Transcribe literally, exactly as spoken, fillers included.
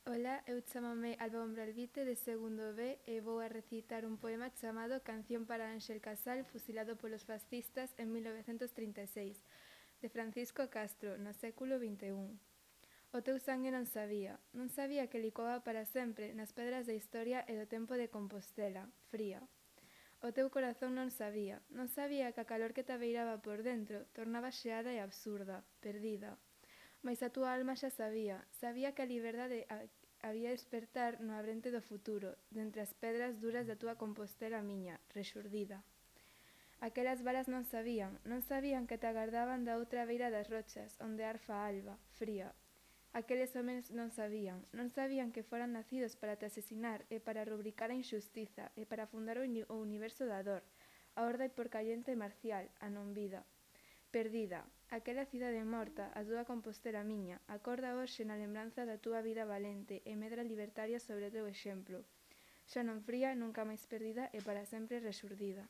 Ola, eu chamame Alba Umbralvite de segundo B e vou a recitar un poema chamado Canción para Ángel Casal fusilado polos fascistas en mil novecentos trinta e seis, de Francisco Castro, no século vinte e un. O teu sangue non sabía, non sabía que licoaba para sempre nas pedras da historia e do tempo de Compostela, fría. O teu corazón non sabía, non sabía que a calor que te abeiraba por dentro tornaba xeada e absurda, perdida. Mais a túa alma xa sabía, sabía que a liberdade había despertar no abrente do futuro, dentre as pedras duras da túa Compostela miña, rexurdida. Aquelas balas non sabían, non sabían que te agardaban da outra beira das rochas, onde arfa a alba, fría. Aqueles homens non sabían, non sabían que foran nacidos para te asesinar e para rubricar a injustiza e para fundar o, uni o universo da dor, a orde porcallenta e marcial, a non vida. Perdida, aquela cidade morta, a túa Compostela miña, acorda hoxe na lembranza da túa vida valente e medra libertaria sobre o teu exemplo. Xa non fría, nunca máis perdida e para sempre rexurdida.